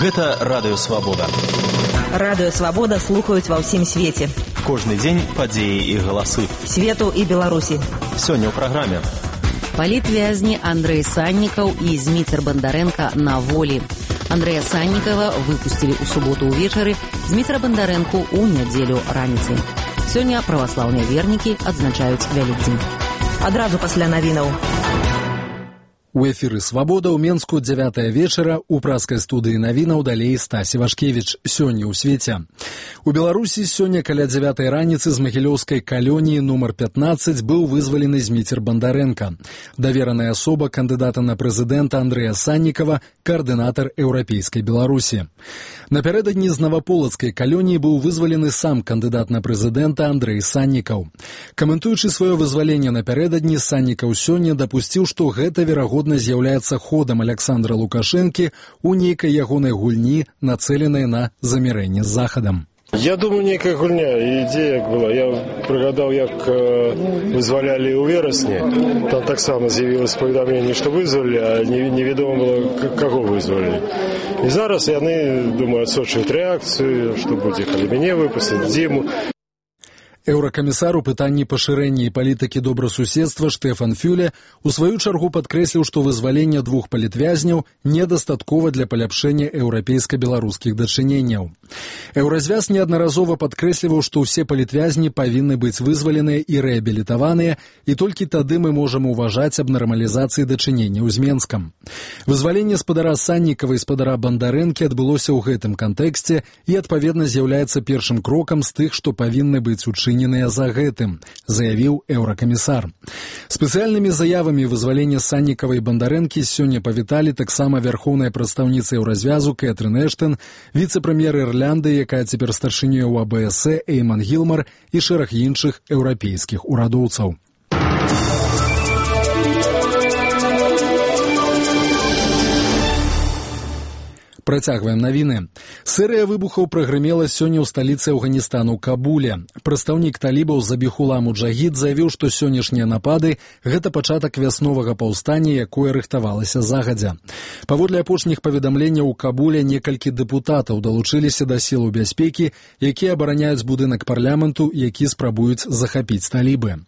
Гэта Радыё Свабода. Радыё Свабода слухаюць ва ўсім свеце. Кожны дзень падзеі і галасы. Свету і Беларусі. Сёння ў праграме. Палітвязні Андрэй Саннікаў і Зміцер Бандарэнка на волі. Андрэя Саннікава выпусцілі ў суботу ўвечары, Зміцера Бандарэнку ў нядзелю раніцай. Сёння праваслаўныя вернікі адзначаюць Вялікдзень. Адразу пасля навінаў. У эфіры «Свабода» ў Менску 9 вечара у праскай студыі навінаў далей Стасі Вашкевіч. Сёння ў свеце. У Беларусі сёння каля 9 раніцы з магілёўскай калоніі нумар 15 быў вызвалены Зміцер Бандарэнка. Давераная асоба кандыдата на прэзідэнта Андрэя Саннікава, каардынатар еўрапейскай Беларусі. Напярэдадні з наваполацкай калоніі быў вызвалены сам кандыдат на прэзідэнта Андрэй Саннікаў. Каментуючы сваё вызваленне напярэдадні, Саннікаў сёння дапусціў, што гэта верагодна з'яўляецца ходам Александра Лукашэнкі ў нейкай ягонай гульні, нацэленай на замірэнне з Захадам. Я думаю, нейкая гульня, ідзея была. Я прыгадаў, як вызвалялі ў верасні. Там таксама з'явілася паведамленне, што вызвалі, а невядома было, каго вызвалі. І зараз яны, думаю, адсочваюць рэакцыю, што будзе, калі мяне выпусцяць, зіму. Еўракамісар у пытанні пашырэння і палітыкі добрасуседства Штэфан Фюле у сваю чаргу падкрэсліў, што вызваленне двух палітвязняў недастаткова для паляпшэння еўрапейска-беларускіх дачыненняў. Еўразвяз неаднаразова падкрэсліваў, што ўсе палітвязні павінны быць вызваленыя і рэабілітаваныя, і толькі тады мы можам уважаць аб нармалізацыі дачыненняў з Менскам. Вызваленне спадара Саннікава і спадара Бандарэнкі адбылося ў гэтым кантэксце і, адпаведна, з'яўляецца першым крокам з тых, што павінны быць учыненыя за гэтым, заявіў еўракамісар. Спецыяльнымі заявамі вызвалення Саннікава і Бандарэнкі сёння павіталі таксама вярхоўная прадстаўніца еўразвязу Кэтрын Эштэн, віцэ-прэм'ер Ірландыі, якая цяпер старшынёй у АБС Эйман Гілмар і шэраг іншых еўрапейскіх урадоўцаў. Працягваем навіны. Серыя выбухаў прагрымела сёння ў сталіцы Афганістану Кабуле. Прадстаўнік талібаў Забіхула Муджахід заявіў, што сённяшнія напады – гэта пачатак вясновага паўстання, якое рыхтавалася загадзя. Паводле апошніх паведамленняў у Кабуле некалькі дэпутатаў далучыліся да сілаў бяспекі, якія абараняюць будынак парламенту, які спрабуюць захапіць талібы.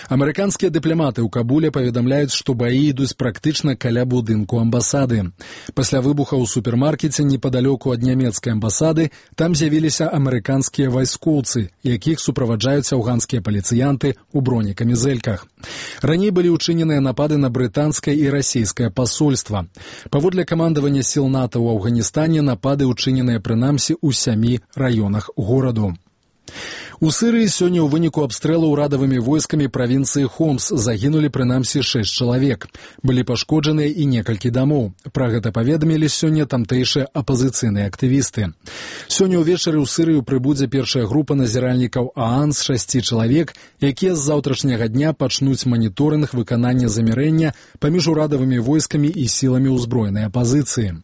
Амерыканскія дыпламаты ў Кабуле паведамляюць, што баі ідуць практычна каля будынку амбасады. Пасля выбуха ў супермаркеце непадалёку ад нямецкай амбасады там з'явіліся амерыканскія вайскоўцы, якіх суправаджаюць афганскія паліцыянты ў бронекамізэльках. Раней былі ўчыненыя напады на брытанскае і расійскае пасольства. Паводле камандавання сіл НАТО ў Афганістане напады ўчыненыя прынамсі ў 7 раёнах гораду. У Сырыі сёння ў выніку абстрэлу ўрадавымі войскамі правінцыі Хомс загінулі прынамсі 6 чалавек. Былі пашкоджаныя і некалькі дамоў. Пра гэта паведамілі сёння тамтэйшыя апазіцыйныя актывісты. Сёння ўвечары ў Сырыю прыбудзе першая група назіральнікаў ААН з 6 чалавек, якія з заўтрашняга дня пачнуць маніторынг выканання замірэння паміж урадавымі войскамі і сіламі ўзброенай апазіцыі.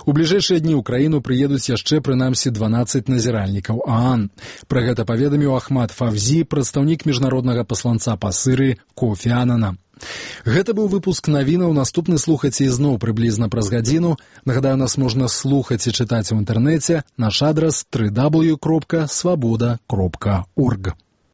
У бліжэйшыя дні ў краіну прыедуць яшчэ прынамсі 12 назіральнікаў ААН. Пра гэта паведаміў Ахмад Фавзі, прадстаўнік міжнароднага пасланца па Сырыі Кофі Анана. Гэта быў выпуск навінаў. Наступны слухаце ізноў прыблізна праз гадзіну. Нагадаю, нас можна слухаць і чытаць у інтэрнэце. Наш адрас www.swaboda.org.